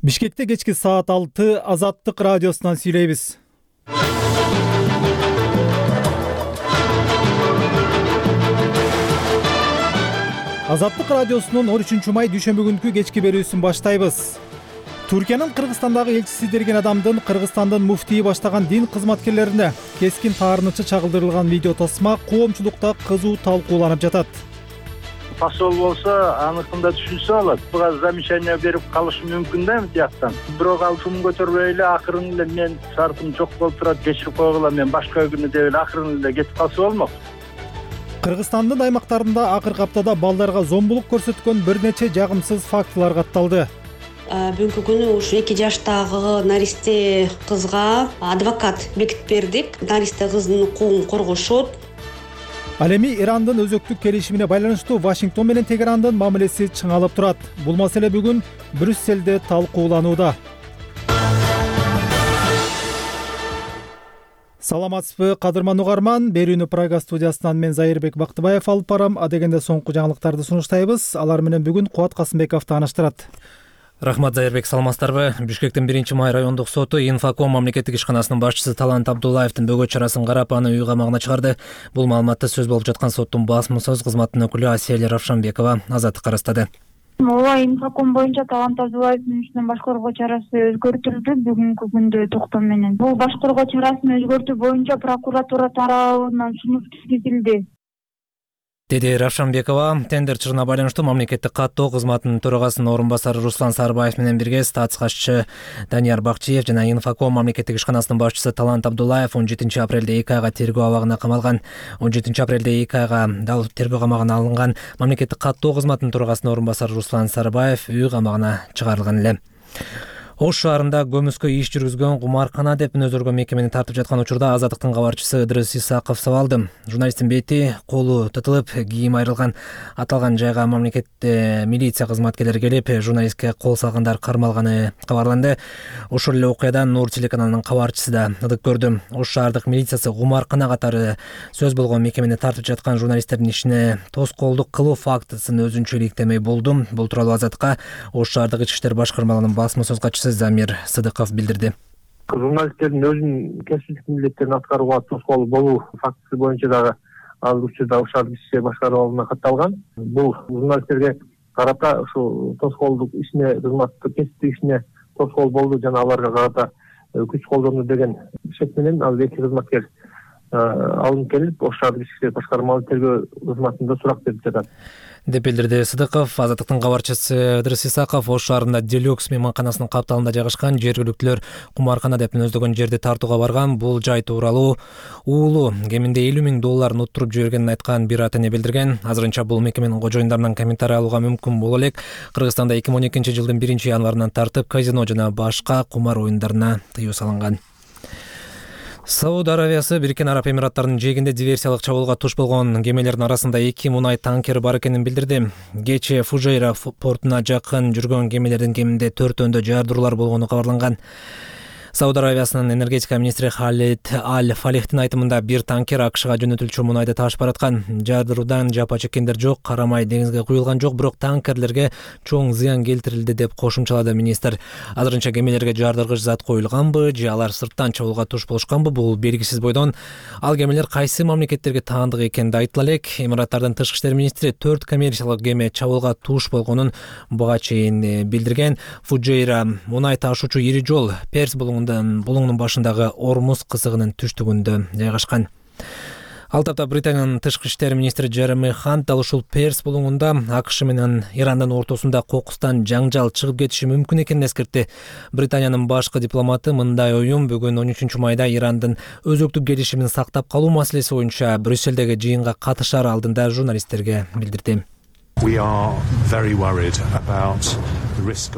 Бишкекте кечки саат 6 Азаттык радиосунан сүйлөйбүз. Азаттык радиосунун 13 май дүйшөмбү күнкү кечки берүүсүн баштайбыз. Туркиянын Кыргызстандагы элчиси деген адамдын Кыргызстандын муфтийи баштаган дин кызматкерлерине кескин таарынычы чагылдырылган видео тасма коомчулукта кызуу талкууланып жатат. Посол болсо аныкында түшүнсө болот. Буга замечание берип калышы мүмкүн да тияктан. Бирок ал шум көтөрбөй эле акырын эле мен шартым жок болуп турат, кечирип койгула, мен башка күнү деп эле акырын эле кетип калса болмок. Кыргызстандын аймактарында акыркы аптада балдарга зомбулук көрсөткөн бир нече жагымсыз фактылар катталды. Бүгүнкү күнү ушу 2 жаштагы наристе кызга адвокат бекитип бердик. Наристе кыздын укугун коргошот. Ал эми Ирандын өзөктүк келишимине байланыштуу Вашингтон менен Тегерандын мамилеси чыңалып турат. Бул маселе бүгүн Брюсселде талкууланууда. Саламатсызбы, кадырман угарман. Берүүнү Прага студиясынан мен Зайырбек Бактыбаев алып барам. Адегенде соңку жаңылыктарды сунуштайбыз. Алар менен бүгүн Кубат Касымбеков тааныштырат. Рахмат, Зайырбек, саламатсыздарбы? Бишкектин 1 май райондук соту Инфоком мамлекеттик ишканасынын башчысы Талант Абдуллаевдин бөгөт чарасын карап, аны үй камагына чыгарды. Бул маалыматты сөз болуп жаткан соттун басма сөз кызматынын өкүлү Асель Равшанбекова Азаттыкка ырастады. Ооба, Инфоком боюнча Талант Абдуллаевдин ишинен баш коргоо чарасы өзгөртүлдү бүгүнкү күндө токтом менен. Бул баш коргоо чарасын өзгөртүү боюнча прокуратура тарабынан сунуш түзүлдү, деди Равшанбекова. Тендер чыгына байланыштуу мамлекеттик каттоо кызматынын төрагасынын орун басары Руслан Сарбаев менен бирге статс катчысы Данияр Бакчиев жана Инфоком мамлекеттик ишканасынын башчысы Талант Абдуллаев 17 апрелде 2 айга тергөө абагына камалган. 17 апрелде 2 айга дал тергөө камагына алынган мамлекеттик каттоо кызматынын төрагасынын орун басары Руслан Сарбаев үй камагына чыгарылган эле. Ош шаарында көмүскө иш жүргүзгөн кумаркана деп мүнөздөргөн мекемени тартып жаткан учурда Азаттыктын кабарчысы Ыдырыс Исаков сабалды. Журналисттин бети, колу тытылып, кийим айрылган. Аталган жайга мамлекетте милиция кызматкерлери келип, журналистке кол салгандар кармалганы кабарланды. Ошол эле окуядан Нур телеканалынын кабарчысы да ылык көрдү. Ош шаардык милициясы кумаркана катары сөз болгон мекемени тартып жаткан журналисттердин ишине тоскоолдук кылуу фактысын өзүнчө иликтемей болду. Бул тууралуу Азаттыкка Ош шаардык ички иштер башкармалыгынын басма сөз катчысы Замир Сыдыков билдирди. Журналисттердин өзүнүн кесиптик милдеттерин аткарууга тоскоол болуу фактысы боюнча дагы ал учурда Ош шаардык ички иштер башкармалыгына катталган. Бул журналисттерге карата ушу тоскоолдук ишине, кызматтык кесиптик ишине тоскоол болду жана аларга карата күч колдонду деген шек менен ал эки кызматкер алынып келип Ош шаардык ички иштер башкармалыгынын тергөө кызматында сурак берип жатат, деп билдирди Сыдыков. Азаттыктын кабарчысы Ыдырыс Исаков Ош шаарында Делюкс мейманканасынын капталында жайгашкан жергиликтүүлөр кумаркана деп мүнөздөгөн жерди тартууга барган. Бул жай тууралуу уулу кеминде $50,000 уттуруп жибергенин айткан бир ата эне билдирген. Азырынча бул мекеменин кожоюндарынан комментарий алууга мүмкүн боло элек. Кыргызстанда 2012 жылдын 1-январынан тартып казино жана башка кумар оюндарына тыюу салынган. Сауд Аравиясы Бириккен Араб Эмираттарынын жээгинде диверсиялык чабуулга туш болгон кемелердин арасында 2 мунай танкери бар экенин билдирди. Кечээ Фужейра портуна жакын жүргөн кемелердин кеминде 4-өндө жардыруулар болгону кабарланган. Сауд Аравиясынын энергетика министри Халид Аль-Фалихтин айтымында бир танкер АКШга жөнөтүлчү мунайды ташып бараткан. Жардыруудан жапа чеккендер жок, карамай деңизге куюлган жок, бирок танкерлерге чоң зыян келтирилди деп кошумчалады министр. Азырынча кемелерге жардыргыч зат коюлганбы же алар сырттан чабуулга туш болушканбы, бул белгисиз бойдон. Ал кемелер кайсы мамлекеттерге таандык экени айтыла элек. Эмираттардын тышкы иштер министри 4 коммерциялык кеме чабуулга туш болгонун буга чейин билдирген. Фужейра мунай ташуучу ири жол Перс булуңунун башындагы Ормуз кызыгынын түштүгүндө жайгашкан. Ал тапта Британиянын тышкы иштер министри Джереми Хант дал ушул Перс булуңунда АКШ менен Ирандын ортосунда кокустан жаңжал чыгып кетиши мүмкүн экенин эскертти. Британиянын башкы дипломаты мындай оюн бүгүн 13 майда Ирандын өзөктүк келишимин сактап калуу маселеси боюнча Брюсселдеги жыйынга катышар алдында журналисттерге билдирди.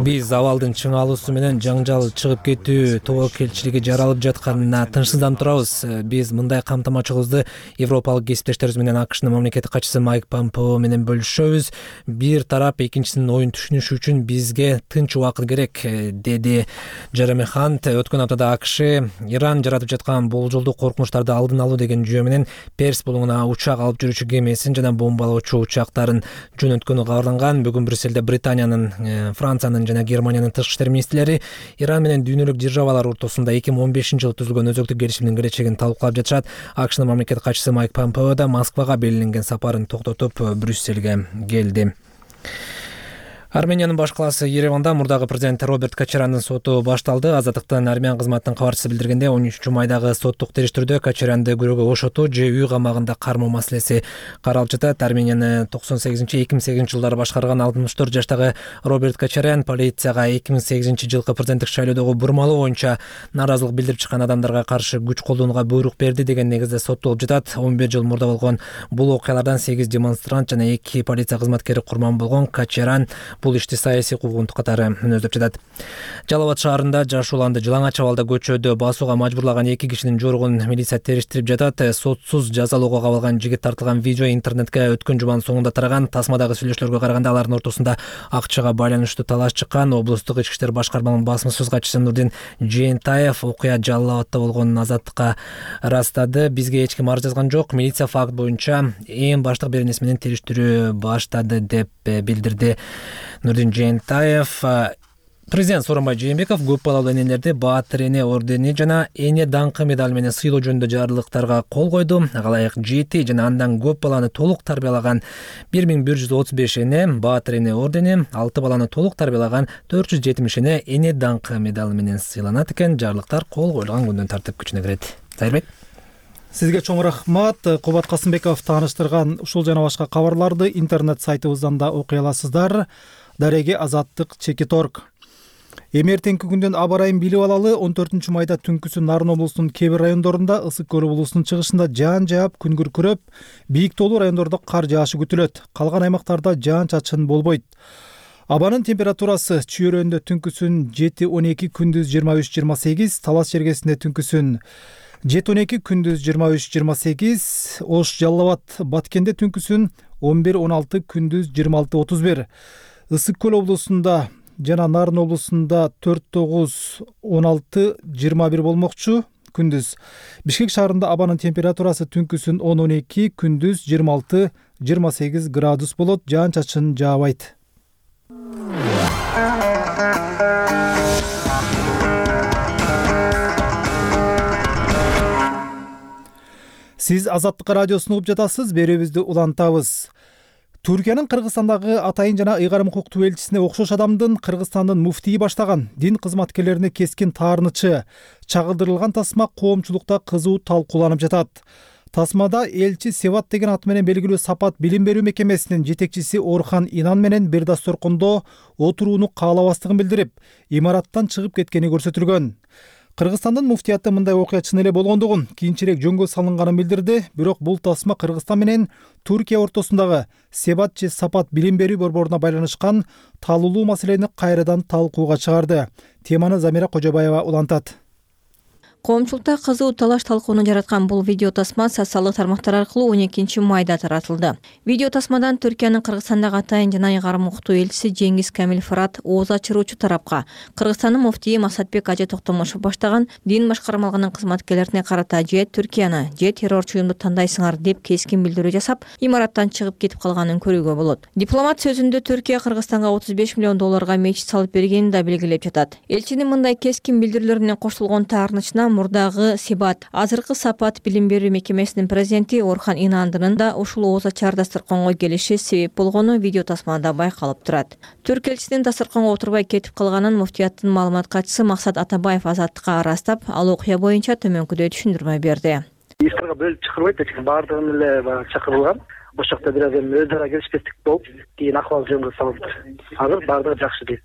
Биз абалдын чыңалуусу менен жаңжал чыгып кетүү тобокелчилиги жаралып жатканына тынчсызданып турабыз. Биз мындай камтамачылыгыбызды европалык кесиптештерибиз менен АКШнын мамлекеттик катчысы Майк Помпео менен бөлүшөбүз. Бир тарап экинчисинин оюн түшүнүшү үчүн бизге тынч убакыт керек, деди Джереми Хант. Өткөн аптада АКШ Иран жаратып жаткан болжолдуу коркунучтарды алдын алуу деген жүйө менен Перс булуңуна учак алып жүрүүчү кемесин жана бомбалоочу учактарын жөнөткөнү кабарланган. Бүгүн Брюсселде Британиянын Франциянын жана Германиянын тышкы иштер министрлери Иран менен дүйнөлүк державалар ортосунда 2015-жылы түзүлгөн өзөктүк келишимдин келечегин талкуулап жатышат. АКШнын мамлекет катчысы Майк Помпео да Москвага белгиленген сапарын токтотуп Брюссельге келди. Армениянын баш калаасы Ереванда мурдагы президент Роберт Кочаряндын соту башталды. Азаттыктын армян кызматынын кабарчысы билдиргенде, 13-майдагы соттук териштирүүдө Кочарянды күрөөгө ошотуу же үй камагында кармоо маселеси каралып жатат. Арменияны 98-2008-жылдары башкарган 64 жаштагы Роберт Кочарян полицияга 2008-жылкы президенттик шайлоодогу бурмалоо боюнча нааразылык билдирип чыккан адамдарга каршы күч колдонууга буйрук берди деген негизде соттолуп жатат. 11 жыл мурда болгон бул окуялардан 8 демонстрант жана 2 полиция кызматкери курман болгон. Кочарян бул ишти саясий куугунтук катары мүнөздөп жатат. Жалал Абад шаарында жаш уланды жылаңач абалда көчөдө басууга мажбурлаган 2 кишинин жоругун милиция териштирип жатат. Сотсуз жазалоого кабылган жигит тартылган видео интернетке өткөн жуманын соңунда тараган. Тасмадагы сүйлөшүүлөргө караганда алардын ортосунда акчага байланыштуу талаш чыккан. Облустук ички иштер башкармалыгынын басма сөз катчысы Нурдин Жээнтаев окуя Жалал Абадта болгонун Азаттыкка ырастады. Бизге эч ким арыз жазган жок. Милиция факт боюнча эң баштык беренеси менен териштирүү баштады деп билдирди Нурдин Жээнтаев. Президент Сооронбай Жээнбеков көп балалуу энелерди Баатыр эне ордени жана эне даңкы медали менен сыйлоо жөнүндө жарлыктарга кол койду. Ага ылайык 7 жана андан көп баланы толук тарбиялаган 1135 эне Баатыр эне ордени, 6 баланы толук тарбиялаган 470 эне эне даңкы медали менен сыйланат экен. Жарлыктар кол коюлган күндөн тартып күчүнө кирет. Сайырбек. Сизге чоң рахмат. Кубат Касымбеков тааныштырган ушул жана башка кабарларды интернет сайтыбыздан да окуй аласыздар. Дареге Азаттык _org. Эми эртеңки күндөн аба ырайын билип алалы. 14-майда түнкүсү Нарын облусунун кээ бир райондорунда, Ысык көл облусунун чыгышында жаан жаап, күн күркүрөп, бийик тоолуу райондордо кар жаашы күтүлөт. Калган аймактарда жаан чачын болбойт. Абанын температурасы Чүйөрөндө түнкүсүн 7-12, күндүз 23-28, Талас жергесинде түнкүсүн 7-12, күндүз 23-28, Ош Жалал Абад Баткенде түнкүсүн 11-16, күндүз 26-31. Ысык көл облусунда жана Нарын облусунда 4-9-16-21 болмокчу күндүз. Бишкек шаарында абанын температурасы түнкүсүн 10-12, күндүз 26-28 градус болот. Жаан чачын жаабайт. Сиз Азаттык радиосун угуп жатасыз. Берүүбүздү улантабыз. Түркиянын Кыргызстандагы атайын жана ыйгарым укуктуу элчисине окшош адамдын Кыргызстандын муфтийи баштаган дин кызматкерлерине кескин таарынычы чагылдырылган тасма коомчулукта кызуу талкууланып жатат. Тасмада элчи Севат деген аты менен белгилүү Сапат билим берүү мекемесинин жетекчиси Орхан Инан менен бир дасторкондо отурууну каалабастыгын билдирип, имараттан чыгып кеткени көрсөтүлгөн. Кыргызстандын муфтияты мындай окуя чын эле болгондугун кийинчерээк жөнгө салынганын билдирди. Бирок бул тасма Кыргызстан менен Түркия ортосундагы Севат же Сапат билим берүү борборуна байланышкан талуулуу маселени кайрадан талкууга чыгарды. Теманы Замира Кожобаева улантат. Коомчулукта кызуу талаш талкууну жараткан бул видео тасма социалдык тармактар аркылуу 12-майда таратылды. Видео тасмадан Түркиянын Кыргызстандагы атайын жана ыйгарым укуктуу элчиси Жеңиз Камил Фырат ооз ачыруучу тарапка Кыргызстандын муфтийи Масатбек Ажы Токтомушев баштаган дин башкармалыгынын кызматкерлерине карата же Түркияны же террорчу уюмду тандайсыңар деп кескин билдирүү жасап, имараттан чыгып кетип калганын көрүүгө болот. Дипломат сөзүндө Түркия Кыргызстанга 35 миллион долларга мечит салып бергенин да белгилеп жатат. Элчинин мындай кескин билдирүүлөрүнө коштулгон таарынычына мурдагы Себат, азыркы Сапат билим берүү мекемесинин президенти Орхан Инандын да ушул ооз ачар дасторконго келиши себеп болгону видео тасмада байкалып турат. Түрк элчисинин дасторконго отурбай кетип калганын муфтияттын маалымат катчысы Максат Атабаев Азаттыкка ырастап, ал окуя боюнча төмөнкүдөй түшүндүрмө берди. Иштерге бөлүп чакырбайт, баардыгын эле чакырылган. Ошол жакта бир аз өз ара келишпестик болуп, кийин акыбал жөнгө салынды. Азыр баардыгы жакшы дейт.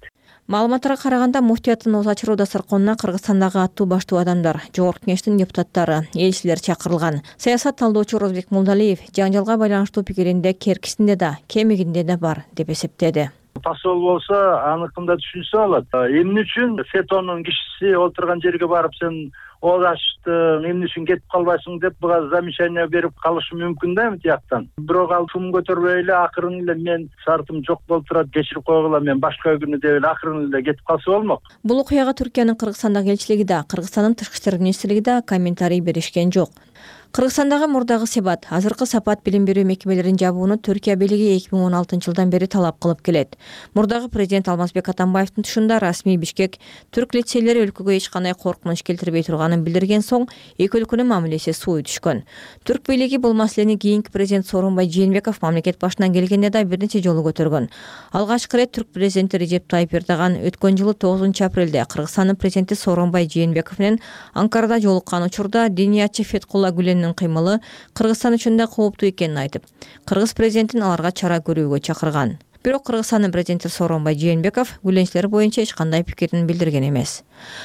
Маалыматтарга караганда муфтияттын ооз ачыруу дасторконуна Кыргызстандагы аттуу баштуу адамдар, Жогорку Кеңештин депутаттары, элчилер чакырылган. Саясат талдоочу Розбек Мулдалиев жаңжалга байланыштуу пикиринде керкисинде да, кемигинде да бар деп эсептеди. Посол болсо аныкында түшүнсө болот. Эмне үчүн СЕТОнун кишиси отурган жерге барып сен ооз ачтың, эмне үчүн кетип калбайсың деп буга замечание берип калышы мүмкүн да тияктан. Бирок ал шум көтөрбөй эле акырын эле мен шартым жок болуп турат, кечирип койгула, мен башка күнү деп эле акырын эле кетип калса болмок. Бул окуяга Түркиянын Кыргызстандагы элчилиги да, Кыргызстандын тышкы иштер министрлиги да комментарий беришкен жок. Кыргызстандагы мурдагы себат, азыркы сапат билим берүү мекемелерин жабууну Түркия бийлиги 2016-жылдан бери талап кылып келет. Мурдагы президент Алмазбек Атамбаевдин тушунда расмий Бишкек түрк лицейлери өлкөгө эч кандай коркунуч келтирбей турганын билдирген соң эки өлкөнүн мамилеси сууй түшкөн. Түрк бийлиги бул маселени кийинки президент Сооронбай Жээнбеков мамлекет башына келгенде да бир нече жолу көтөргөн. Алгачкы ирет түрк президенти Режеп Тайып Эрдоган өткөн жылы 9 апрелде Кыргызстандын президенти Сооронбай Жээнбеков менен Анкарада жолуккан учурда Дениячи Феткулла Гүленин кыймылы Кыргызстан үчүн да кооптуу экенин айтып, кыргыз президентин аларга чара көрүүгө чакырган. Бирок Кыргызстандын президенти Сооронбай Жээнбеков Гүленчилер боюнча эч кандай пикирин билдирген эмес.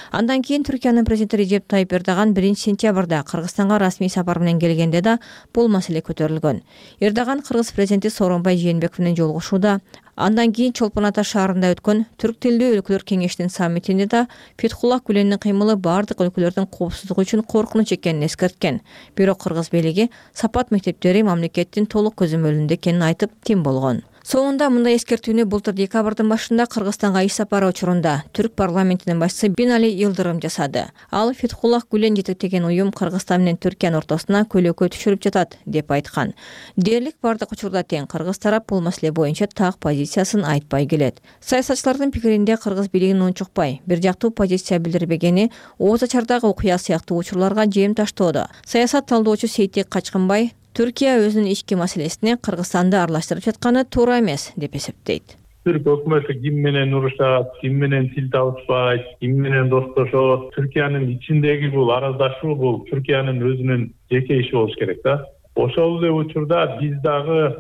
Андан кийин Түркиянын президенти Режеп Тайып Эрдоган 1-сентябрда Кыргызстанга расмий сапар менен келгенде да бул маселе көтөрүлгөн. Эрдоган кыргыз президенти Сооронбай Жээнбеков менен жолугушууда, андан кийин Чолпон Ата шаарында өткөн Түрк тилдүү өлкөлөр кеңешинин саммитинде да Феткулла Гүленин кыймылы бардык өлкөлөрдүн коопсуздугу үчүн коркунуч экенин эскерткен. Бирок кыргыз бийлиги сапат мектептери мамлекеттин толук көзөмөлүндө экенин айтып тим болгон. Соңунда мындай эскертүүнү былтыр декабрдын башында Кыргызстанга иш сапары учурунда Түрк парламентинин башчысы Бинали Йылдырым жасады. Ал Феткулла Гүлен жетектеген уюм Кыргызстан менен Түркиянын ортосуна көлөкө түшүрүп жатат деп айткан. Дээрлик бардык учурда тең кыргыз тарап бул маселе боюнча так позициясын айтпай келет. Саясатчылардын пикиринде кыргыз бийлигин унчукпай, бир жактуу позиция билдирбегени Ооз Ачардагы окуя сыяктуу учурларга жем таштоодо. Саясат талдоочу Сейтек Качкынбай Түркия өзүнүн ички маселесине Кыргызстанды аралаштырып жатканы туура эмес деп эсептейт. Түрк өкмөтү ким менен урушат, ким менен тил табышпайт, ким менен достошот, Түркиянын ичиндеги бул араздашуу бул Түркиянын өзүнүн жеке иши болуш керек да. Ошол эле учурда биз дагы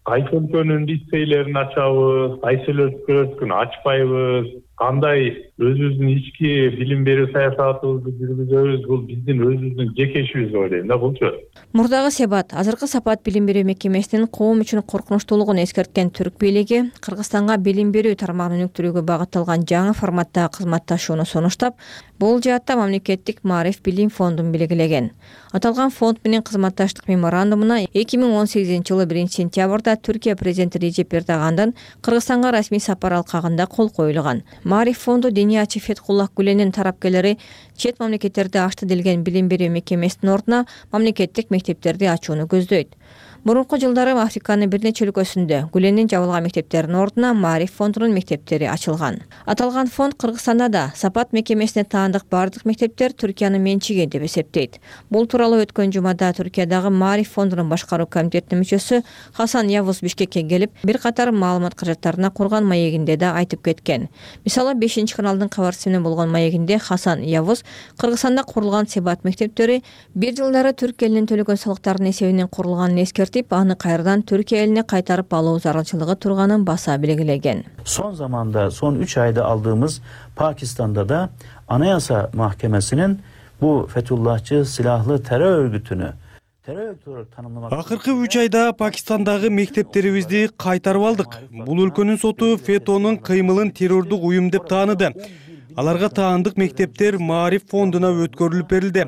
кайсы өлкөнүн лицейлерин ачабыз, кайсы өлкөлөрдүкүн ачпайбыз, кандай өзүбүздүн ички билим берүү саясатыбызды жүргүзөбүз, бул биздин өзүбүздүн жеке ишибиз деп ойлойм да булчу. Мурдагы себат, азыркы сапат билим берүү мекемесинин коом үчүн коркунучтуулугун эскерткен түрк бийлиги Кыргызстанга билим берүү тармагын өнүктүрүүгө багытталган жаңы форматтагы кызматташууну сунуштап, бул жаатта мамлекеттик Маариф билим фондун белгилеген. Аталган фонд менен кызматташтык меморандумуна 2018-жылы 1-сентябрда Түркия президенти Режеп Эрдогандын Кыргызстанга расмий сапар алкагында кол коюлган. Маариф фонду Дениячи Феткулла Гүленин тарапкерлери чет мамлекеттерде ачты делген билим берүү мекемесинин ордуна мамлекеттик мектептерди ачууну көздөйт. Мурунку жылдары Африканын бир нече өлкөсүндө Гүленин жабылган мектептеринин ордуна Маариф фондунун мектептери ачылган. Аталган фонд Кыргызстанда да сапат мекемесине таандык бардык мектептер Түркиянын менчиги деп эсептейт. Бул тууралуу өткөн жумада Түркиядагы Маариф фондунун башкаруу комитетинин мүчөсү Хасан Явуз Бишкекке келип, бир катар маалымат каражаттарына курган маегинде да айтып кеткен. Мисалы 5-каналдын кабарчысы менен болгон маегинде Хасан Явуз Кыргызстанда курулган себат мектептери бир жылдары түрк элинин төлөгөн салыктарынын эсебинен курулганын эскертип, аны кайрадан Түркия элине кайтарып алуу зарылчылыгы турганын баса белгилеген. Son zamanda, son 3 ayda aldığımız Pakistan'da da Anayasa Mahkemesi'nin bu Fethullahçı silahlı terör örgütünü Акыркы 3 айда Пакистандагы мектептерибизди кайтарып алдык. Бул өлкөнүн соту Фетонун кыймылын террордук уюм деп тааныды. Аларга таандык мектептер Маариф фондуна өткөрүлүп берилди.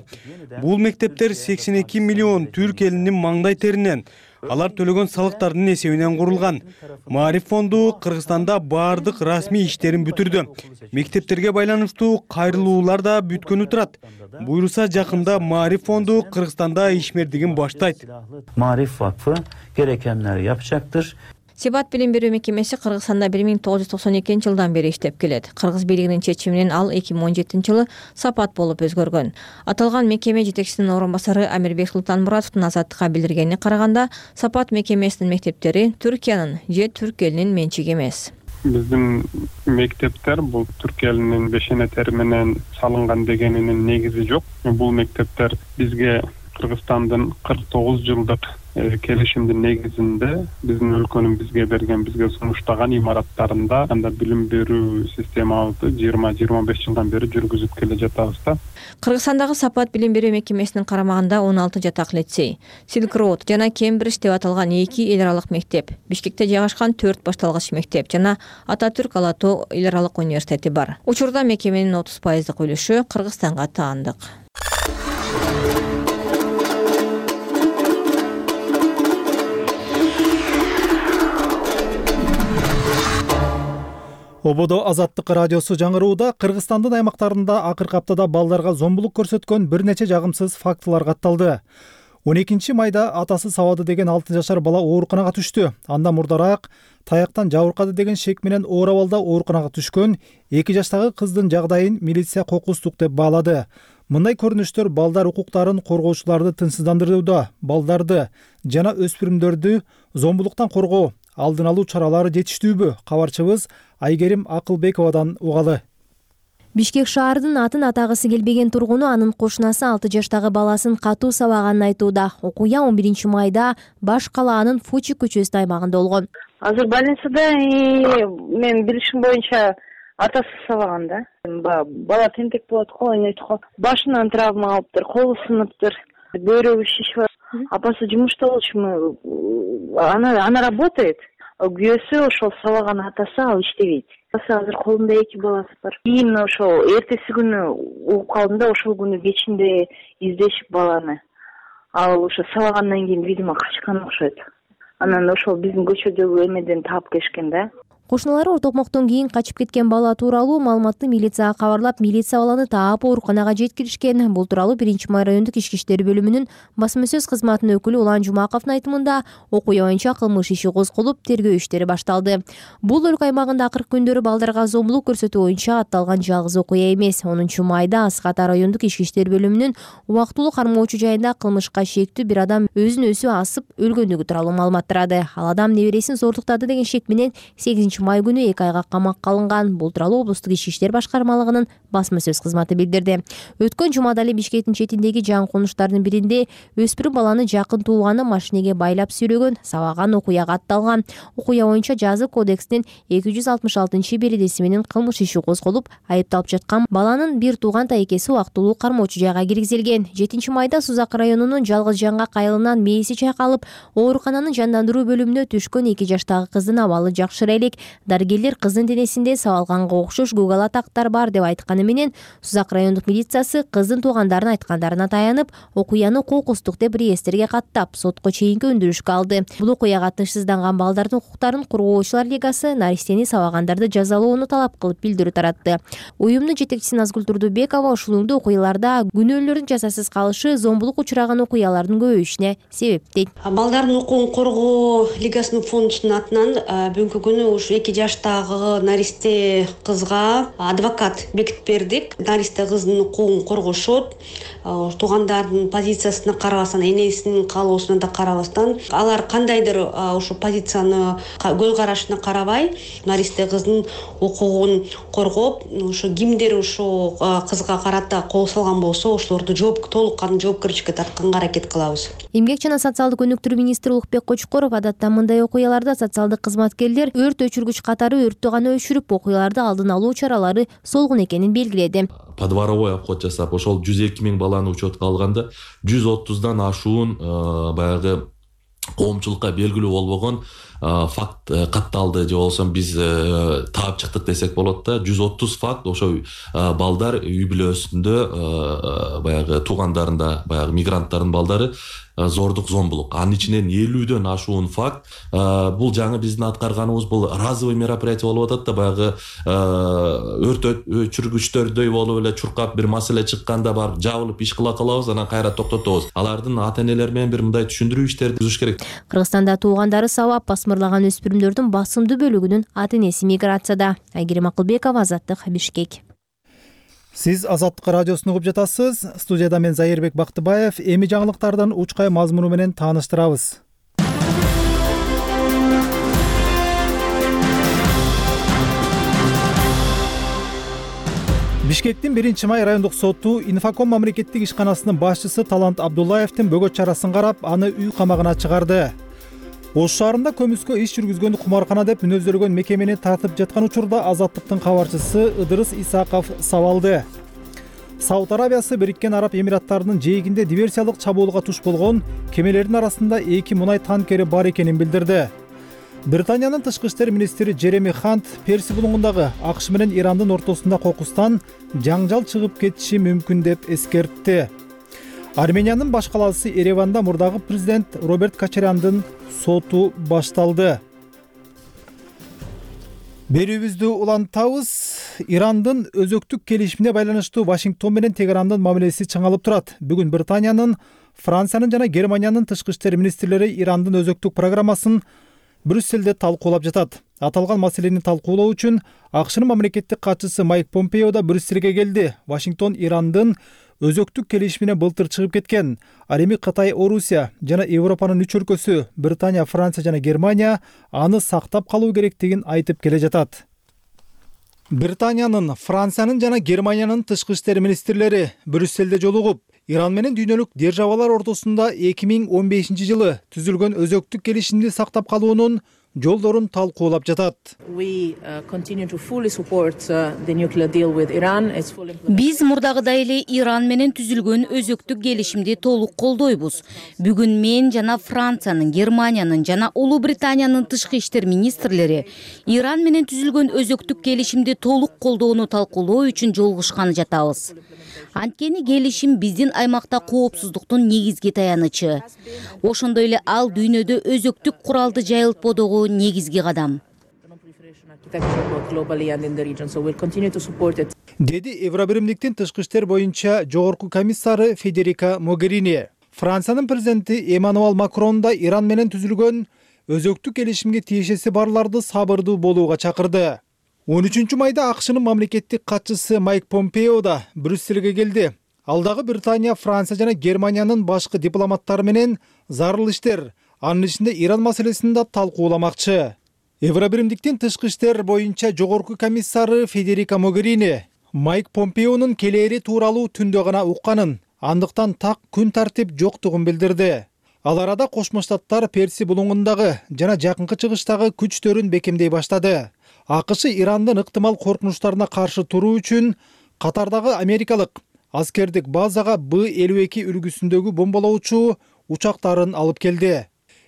Бул мектептер 82 миллион түрк элинин маңдай теринен, алар төлөгөн салыктардын эсебинен курулган. Маариф фонду Кыргызстанда бардык расмий иштерин бүтүрдү. Мектептерге байланыштуу кайрылуулар да бүткөнү турат. Буйруса жакында Маариф фонду Кыргызстанда ишмердигин баштайт. Ma'rif Vakfı gerekenleri yapacaktır. Себат билим берүү мекемеси Кыргызстанда 1992-жылдан бери иштеп келет. Кыргыз бийлигинин чечиминен ал 2017-жылы сапат болуп өзгөргөн. Аталган мекеме жетекчисинин орун басары Амирбек Султанмуратовдун Азаттыкка билдиргенине караганда, сапат мекемесинин мектептери Түркиянын же түрк элинин менчиги эмес. Биздин мектептер бул түрк элинин бешене тери менен салынган дегенинин негизи жок. Бул мектептер бизге Кыргызстандын 49 жылдык келишимдин негизинде биздин өлкөнүн бизге берген, бизге сунуштаган имараттарында анда билим берүү системабызды 20-25 жылдан бери жүргүзүп келе жатабыз да. Кыргызстандагы сапат билим берүү мекемесинин карамагында 16 жатак лицей, Silk Road жана Кембридж деп аталган 2 эл аралык мектеп, Бишкекте жайгашкан 4 башталгыч мектеп жана Ататүрк Ала Тоо эл аралык университети бар. Учурда мекеменин 30% үлүшү Кыргызстанга таандык. Ободо Азаттык радиосу жаңырууда Кыргызстандын аймактарында акыркы аптада балдарга зомбулук көрсөткөн бир нече жагымсыз фактылар катталды. 12 майда атасы сабады деген 6 жашар бала ооруканага түштү. Андан мурдараак таяктан жабыркады деген шек менен оор абалда ооруканага түшкөн 2 жаштагы кыздын жагдайын милиция кокустук деп баалады. Мындай көрүнүштөр балдар укуктарын коргоочуларды тынчсыздандырууда, балдарды жана өспүрүмдөрдү зомбулуктан коргоо, алдын алуу чаралары жетиштүүбү? Кабарчыбыз Айгерим Акылбековадан угалы. Бишкек шаарынын атын атагысы келбеген тургуну анын кошунасы 6 жаштагы баласын катуу сабаганын айтууда. Окуя 11 майда баш калаанын Фучи көчөсүнүн аймагында болгон. Азыр больницада мен билишим боюнча атасы сабаган да. Бала тентек болот го, башынан травма алыптыр, колу сыныптыр, бөйрөгү шишип. Апасы жумушта болчуму? Она работает. Күйөөсү ошол сабаган атасы ал иштебейт. Азыр колунда 2 баласы бар. Кийин ошол эртеси күнү угуп калдым да, ошол күнү кечинде издешип баланы. Ал ошо сабагандан кийин видимо качкан окшойт. Анан ошол биздин көчөдөгү эмеден таап келишкен да. Кошуналары ортокмоктон кийин качып кеткен бала тууралуу маалыматты милицияга кабарлап, милиция баланы таап ооруканага жеткиришкен. Бул тууралуу 1-май райондук ички иштер бөлүмүнүн басма сөз кызматынын өкүлү Улан Жумаковдун айтымында, окуя боюнча кылмыш иши козголуп, тергөө иштери башталды. Бул өлкө аймагында акыркы күндөрү балдарга зомбулук көрсөтүү боюнча атталган жалгыз окуя эмес. 10 майда Асык Ата райондук ички иштер бөлүмүнүн убактылуу кармоочу жайында кылмышка шектүү бир адам өзүн өзү асып өлгөндүгү тууралуу маалымат тарады. Ал адам небересин зордуктады деген шек менен 8 май күнү 2 айга камакка алынган. Бул тууралуу облустук ички иштер башкармалыгынын басма сөз кызматы билдирди. Өткөн жумада эле Бишкектин четиндеги жаңы конуштардын биринде өспүрүм баланы жакын тууганы машинеге байлап сүйрөгөн, сабаган окуяга атталган. Окуя боюнча жазы кодексинин 266-бередеси менен кылмыш иши козголуп, айыпталып жаткан баланын бир тууган тайкеси убактылуу кармоочу жайга киргизилген. 7 майда Сузак районунун Жалгыз Жаңгак айылынан мээси чайкалып, оорукананын жандандыруу бөлүмүнө түшкөн 2 жаштагы кыздын абалы жакшыра элек. Дарыгерлер кыздын денесинде сабалганга окшош көгал атактар бар деп айтканы менен Сузак райондук милициясы кыздын туугандарынын айткандарына таянып, окуяны кокустук деп реестрге каттап, сотко чейинки өндүрүшкө алды. Бул окуяга тынчсызданган балдардын укуктарын коргоочулар лигасы наристени сабагандарды жазалоону талап кылып билдирүү таратты. Уюмдун жетекчиси Назгүл Турдубекова ушулуңдуу окуяларда күнөөлөрдүн жазасыз калышы зомбулук учураган окуялардын көбөйүшүнө себеп дейт. Балдардын укугун коргоо лигасынын фондусунун атынан бүгүнкү күнү ушу 2 жаштагы наристе кызга адвокат бекитип бердик. Наристе кыздын укугун коргошот. Туугандардын позициясына карабастан, энесинин каалоосуна да карабастан, алар кандайдыр ушу позицияны көз карашына карабай, наристе кыздын укугун коргоп, ушу кимдир ушу кызга карата кол салган болсо, ошолорду толук кандуу жоопкерчиликке тартканга аракет кылабыз. Эмгек жана социалдык өнүктүрүү министри Улукбек Кочкоров адатта мындай окуяларда социалдык кызматкерлер өрт өчүргүч катары өрттү гана өчүрүп, окуяларды алдын алуу чаралары солгун экенин белгиледи. Подворовой обход жасап, ошол 102 000 баланы учетко алганда 130дан ашуун баягы коомчулукка белгилүү болбогон факт катталды же болбосо биз таап чыктык десек болот да. 130 факт ошо балдар үй бүлөсүндө баягы туугандарында баягы мигранттардын балдары зордук зомбулук. Анын ичинен 50дөн ашуун факт. Бул жаңы биздин аткарганыбыз бул разовый мероприятие болуп атат да, баягы өрт өчүргүчтөрдөй болуп эле чуркап бир маселе чыкканда барып жабылып иш кыла калабыз, анан кайра токтотобуз. Алардын ата-энелери менен бир мындай түшүндүрүү иштерди түзүш керек. Кыргызстанда туугандары сабап басмырлаган өспүрүмдөрдүн басымдуу бөлүгүнүн ата-энеси миграцияда. Айгерим Акылбекова, Азаттык, Бишкек. Сиз Азаттык радиосун угуп жатасыз. Студияда мен Зайырбек Бактыбаев. Эми жаңылыктардын учкай мазмуну менен тааныштырабыз. Бишкектин 1-май райондук соту Инфоком мамлекеттик ишканасынын башчысы Талант Абдуллаевдин бөгөт чарасын карап, аны үй камагына чыгарды. Ош шаарында көмүскө иш жүргүзгөн кумаркана деп мүнөздөлгөн мекемени тартып жаткан учурда Азаттыктын кабарчысы Ыдырыс Исаков сабалды. Сауд Арабиясы Бириккен Араб Эмираттарынын жээгинде диверсиялык чабуулга туш болгон кемелердин арасында 2 мунай танкери бар экенин билдирди. Британиянын тышкы иштер министри Джереми Хант Перси булуңундагы АКШ менен Ирандын ортосунда кокустан жаңжал чыгып кетиши мүмкүн деп эскертти. Армениянын баш калаасы Ереванда мурдагы президент Роберт Кочаряндын соту башталды. Берүүбүздү улантабыз. Ирандын өзөктүк келишимине байланыштуу Вашингтон менен Тегерандын мамилеси чыңалып турат. Бүгүн Британиянын, Франциянын жана Германиянын тышкы иштер министрлери Ирандын өзөктүк программасын Брюсселде талкуулап жатат. Аталган маселени талкуулоо үчүн АКШнын мамлекеттик катчысы Майк Помпео да Брюссельге келди. Вашингтон Ирандын өзөктүк келишимине былтыр чыгып кеткен. Ал эми Кытай, Орусия жана Европанын 3 өлкөсү Британия, Франция жана Германия аны сактап калуу керектигин айтып келе жатат. Британиянын, Франциянын жана Германиянын тышкы иштер министрлери Брюссельде жолугуп, Иран менен дүйнөлүк державалар ортосунда 2015-жылы түзүлгөн өзөктүк келишимди сактап калуунун жолдорун талкуулап жатат. Биз мурдагыдай эле Иран менен түзүлгөн өзөктүк келишимди толук колдойбуз. Бүгүн мен жана Франциянын, Германиянын жана Улуу Британиянын тышкы иштер министрлери Иран менен түзүлгөн өзөктүк келишимди толук колдоону талкуулоо үчүн жолугушканы жатабыз. Анткени келишим биздин аймакта коопсуздуктун негизги таянычы. Ошондой эле ал дүйнөдө өзөктүк куралды жайылтпоодогу негизги кадам. Деди Евробиримдиктин тышкы иштер боюнча жогорку комиссары Федерика Могерини. Франциянын президенти Эммануэл Макрон да Иран менен түзүлгөн өзөктүк келишимге тиешеси барларды сабырдуу болууга чакырды. 13 майда АКШнын мамлекеттик катчысы Майк Помпео да Брюссельге келди. Ал дагы Британия, Франция жана Германиянын башкы дипломаттары менен зарыл иштер, анын ичинде Иран маселесин да талкууламакчы. Евробиримдиктин тышкы иштер боюнча жогорку комиссары Федерика Могерини Майк Помпеонун келери тууралуу түндө гана укканын, андыктан так күн тартип жоктугун билдирди. Ал арада Кошмо Штаттар Перси булуңундагы жана жакынкы чыгыштагы күчтөрүн бекемдей баштады. АКШ Ирандын ыктымал коркунучтарына каршы туруу үчүн Катардагы америкалык аскердик базага Б-52 үлгүсүндөгү бомбалоочу учактарын алып келди.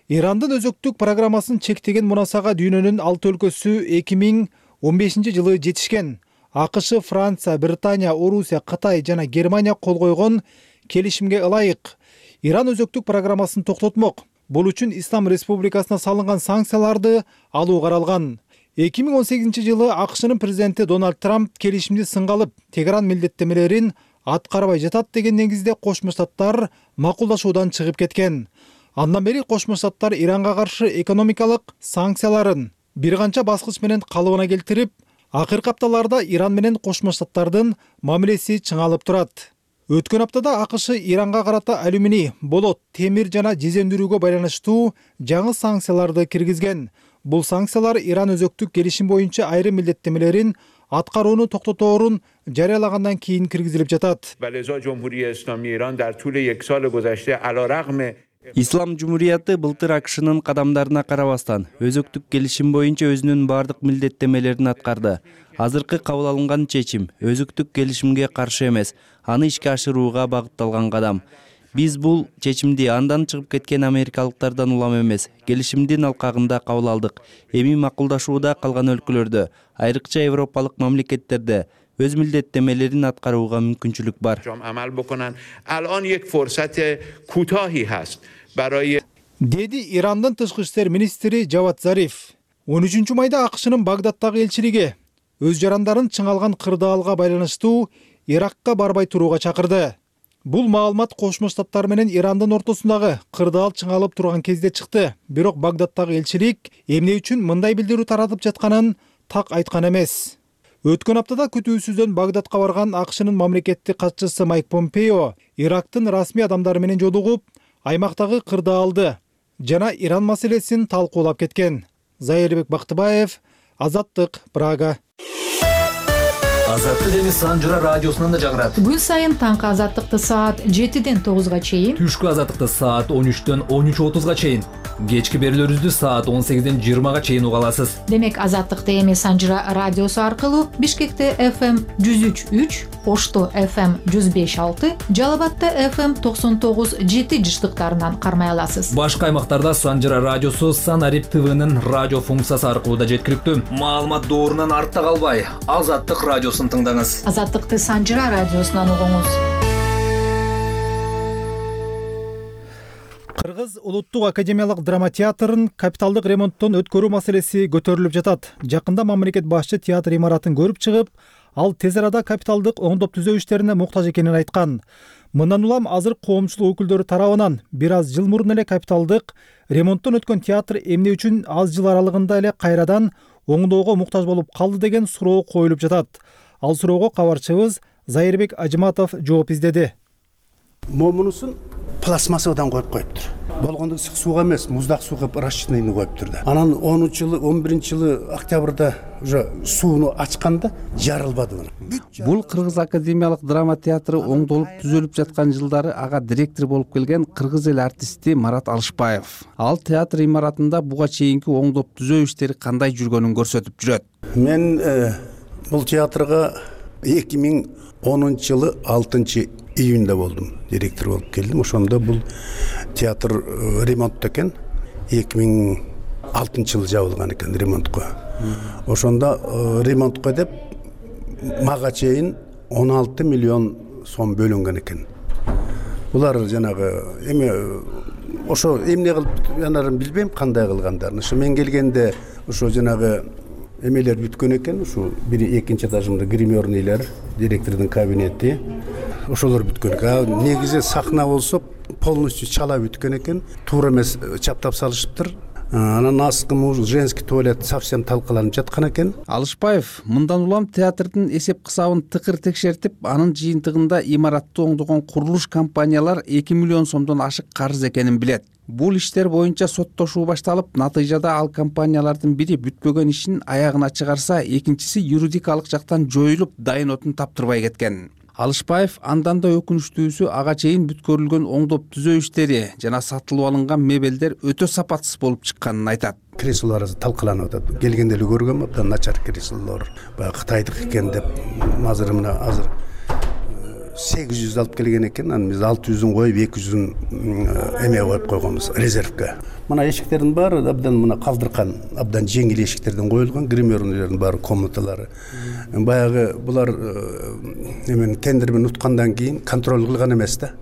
Ирандын өзөктүк программасын чектеген мунасага дүйнөнүн 6 өлкөсү 2015-жылы жетишкен. АКШ, Франция, Британия, Орусия, Кытай жана Германия кол койгон келишимге ылайык Иран өзөктүк программасын токтотмок. Бул үчүн Ислам Республикасына салынган санкцияларды алуу каралган. 2018-жылы АКШнын президенти Дональд Трамп келишимди сынга алып, Тегеран милдеттемелерин аткарбай жатат деген негизде Кошмо Штаттар макулдашуудан чыгып кеткен. Андан бери Кошмо Штаттар Иранга каршы экономикалык санкцияларын бир канча баскыч менен калыбына келтирип, акыркы апталарда Иран менен Кошмо Штаттардын мамилеси чыңалып турат. Өткөн аптада АКШ Иранга карата алюминий, болот, темир жана жезендирүүгө байланыштуу жаңы санкцияларды киргизген. Бул санкциялар Иран өзөктүк келишим боюнча айрым милдеттемелерин аткарууну токтоторун жарыялагандан кийин киргизилип жатат. Ислам Жумурияты былтыр АКШнын кадамдарына карабастан өзөктүк келишим боюнча өзүнүн бардык милдеттемелерин аткарды. Азыркы кабыл алынган чечим өзөктүк келишимге каршы эмес, аны ишке ашырууга багытталган кадам. Биз бул чечимди андан чыгып кеткен америкалыктардан улам эмес, келишимдин алкагында кабыл алдык. Эми макулдашууда калган өлкөлөрдө, айрыкча европалык мамлекеттерде өз милдеттемелерин аткарууга мүмкүнчүлүк бар. Деди Ирандын тышкы иштер министри Жавад Зариф. 13 майда АКШнын Багдадтагы элчилиги өз жарандарын чыңалган кырдаалга байланыштуу Иракка барбай турууга чакырды. Бул маалымат Кошмо Штаттар менен Ирандын ортосундагы кырдаал чыңалып турган кезде чыкты. Бирок Багдадтагы элчилик эмне үчүн мындай билдирүү таратып жатканын так айткан эмес. Өткөн аптада күтүүсүздөн Багдадка барган АКШнын мамлекеттик катчысы Майк Помпео Ирактын расмий адамдары менен жолугуп, аймактагы кырдаалды жана Иран маселесин талкуулап кеткен. Зайырбек Бактыбаев, Азаттык, Прага. Азаттык эми Санжыра радиосунан да жагырат. Күн сайын таңкы азаттыкты саат 7-ден 9-га чейин, түшкү азаттыкты саат 13-төн 13:30-га чейин, кечки берүүлөрүбүздү саат 18-ден 20-га чейин уга аласыз. Демек азаттыкты эми Санжыра радиосу аркылуу Бишкекте FM 103.3, Ошто FM 105.6, Жалал Абадта FM 99.7 жыштыктарынан кармай аласыз. Башка аймактарда Санжыра радиосу Санарип ТВнын радио функциясы аркылуу да жеткиликтүү. Маалымат доорунан артта калбай, Азаттык радиосун тыңдаңыз. Азаттыкты Санжыра радиосунан угуңуз. Кыргыз улуттук академиялык драма театрын капиталдык ремонттон өткөрүү маселеси көтөрүлүп жатат. Жакында мамлекет башчы театр имаратын көрүп чыгып, ал тез арада капиталдык оңдоп түзөө иштерине муктаж экенин айткан. Мындан улам азыр коомчулук өкүлдөрү тарабынан бир аз жыл мурун эле капиталдык ремонттон өткөн театр эмне үчүн аз жыл аралыгында эле кайрадан оңдоого муктаж болуп калды деген суроо коюлуп жатат. Ал суроого кабарчыбыз Зайырбек Ажыматов жооп издеди. Момунусун пластмассадан коюп коюптур. Болгондо ысык сууга эмес, муздак сууга расчетныйны коюптур да. Анан 10-жылы, 11-жылы октябрда уже сууну ачканда жарылбады мына. Бул Кыргыз академиялык драма театры оңдолуп түзөлүп жаткан жылдары ага директор болуп келген кыргыз эл артисти Марат Алышбаев. Ал театр имаратында буга чейинки оңдоп түзөө иштери кандай жүргөнүн көрсөтүп жүрөт. Мен бул театрга 2010-жылы 6-июнда болдум. Директор болуп келдим. Ошондо бул театр ремонтто экен. 2006-жылы жабылган экен ремонтко. Ошондо ремонтко деп мага чейин 16 миллион сом бөлүнгөн экен. Булар жанагы эме ошо эмне кылып жанарын билбейм кандай кылгандарын. Ошо мен келгенде ошо жанагы эмелер бүткөн экен. Ушу бир экинчи этажында гримерныйлар, директордун кабинети ошолор бүткөн экен. Негизи сахна болсо полностью чала бүткөн экен. Туура эмес чаптап салышыптыр. Анан асткы женский туалет совсем талкаланып жаткан экен. Алышбаев мындан улам театрдын эсеп кысабын тыкыр текшертип, анын жыйынтыгында имаратты оңдогон курулуш компаниялар 2 миллион сомдон ашык карыз экенин билет. Бул иштер боюнча соттошуу башталып, натыйжада ал компаниялардын бири бүтпөгөн ишин аягына чыгарса, экинчиси юридикалык жактан жоюлуп, дайын отун таптырбай кеткен. Алышбаев андан да өкүнүчтүүсү ага чейин бүткөрүлгөн оңдоп түзөө иштери жана сатылып алынган мебелдер өтө сапатсыз болуп чыкканын айтат. Креслолор талкаланып атат. Келгенде эле көргөм, абдан начар креслолор. Баягы Кытайдык экен деп, азыр 800 алып келген экен. Анан биз 600-ун коюп, 200-ун эме коюп койгонбуз, резервге. Мына эшиктердин баары абдан мына калдыркан, абдан жеңил эшиктерден коюлган, гримерныйлардын баары комнаталары. Баягы булар эмен тендер менен уткандан кийин контроль кылган эмес да.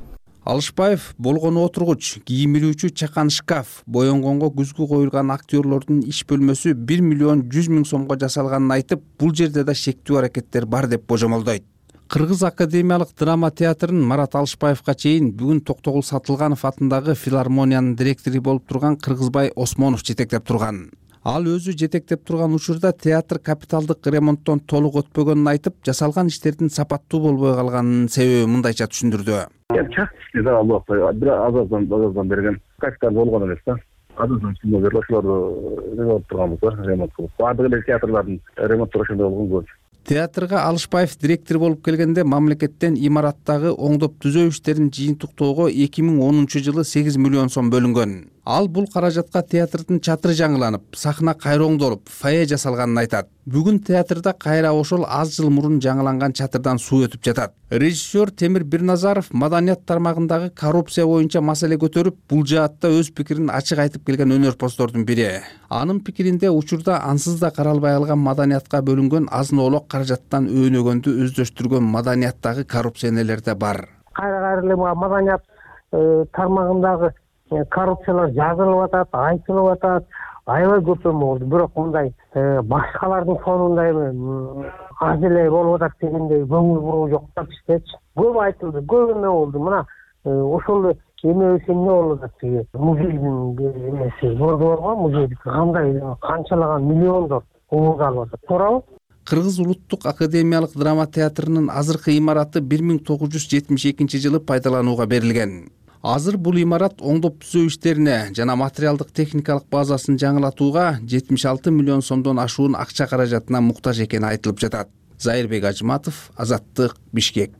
Алышбаев болгону отургуч, кийим илүүчү чакан шкаф, боенгонго күзгү коюлган актерлордун иш бөлмөсү 1 миллион 100 миң сомго жасалганын айтып, бул жерде да шектүү аракеттер бар деп божомолдойт. Кыргыз академиялык драма театрын Марат Алышбаевга чейин бүгүн Токтогул Сатылганов атындагы филармониянын директору болуп турган Кыргызбай Осмонов жетектеп турган. Ал өзү жетектеп турган учурда театр капиталдык ремонттон толук өтпөгөнүн айтып, жасалган иштердин сапаттуу болбой калганынын себеби мындайча түшүндүрдү. Частичный да албакта бир азаздан берген капитал болгон эмес да. Азаздан сумма берип ошолорду ремонт турганбыз да, ремонт кылып. Баардык эле театрлардын ремонттор ошондой болгон көп. Театрга Алышбаев директор болуп келгенде мамлекеттен имараттагы оңдоп түзөө иштерин жыйынтыктоого 2010-жылы 8 миллион сом бөлүнгөн. Ал бул каражатка театрдын чатыры жаңыланып, сахна кайра оңдолуп, фойе жасалганын айтат. Бүгүн театрда кайра ошол аз жыл мурун жаңыланган чатырдан суу өтүп жатат. Режиссер Темир Бирназаров маданият тармагындагы коррупция боюнча маселе көтөрүп, бул жаатта өз пикирин ачык айтып келген өнөрпоздордун бири. Анын пикиринде учурда ансыз да каралбай калган маданиятка бөлүнгөн азын-оолок каражаттан өөнөгөндү өздөштүргөн маданияттагы коррупционерлер да бар. Кайра эле маданият тармагындагы коррупциялар жазылып атат, айтылып атат, аябай көп болду. Бирок мындай башкалардын фонунда аз эле болуп атат дегендей көңүл буруу жок да биздечи. Көп айтылды, көп эме болду. Мына ошол эме эмне болуп атат, музейдин эмеси борго, музейдики кандай канчалаган миллиондор ууралып атат. Туурабы? Кыргыз улуттук академиялык драма театрынын азыркы имараты 1972-жылы пайдаланууга берилген. Азыр бул имарат оңдоп түзөө иштерине жана материалдык техникалык базасын жаңылатууга 76 миллион сомдон ашуун акча каражатына муктаж экени айтылып жатат. Зайырбек Ажыматов, Азаттык, Бишкек.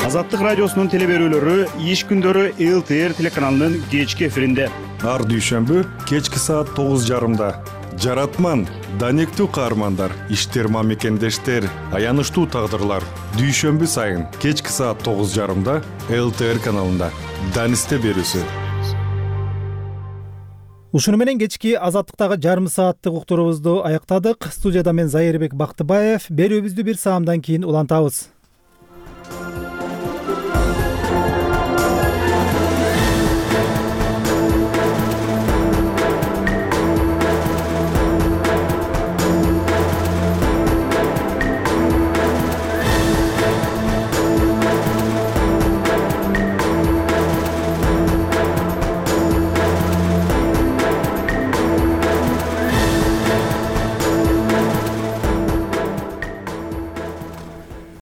Азаттык радиосунун телеберүүлөрү иш күндөрү ЛТР телеканалынын кечки эфиринде. Ар дүйшөмбү кечки саат 9:30. Жаратман, данектүү каармандар, иштерма мекендештер, аянычтуу тагдырлар. Дүйшөмбү сайын кечки саат 9:30 ЛТР каналында. Данисте берүүсү. Ушуну менен кечки Азаттыктагы жарым сааттык уктурубузду аяктадык. Студияда мен Зайырбек Бактыбаев. Берүүбүздү бир саамдан кийин улантабыз.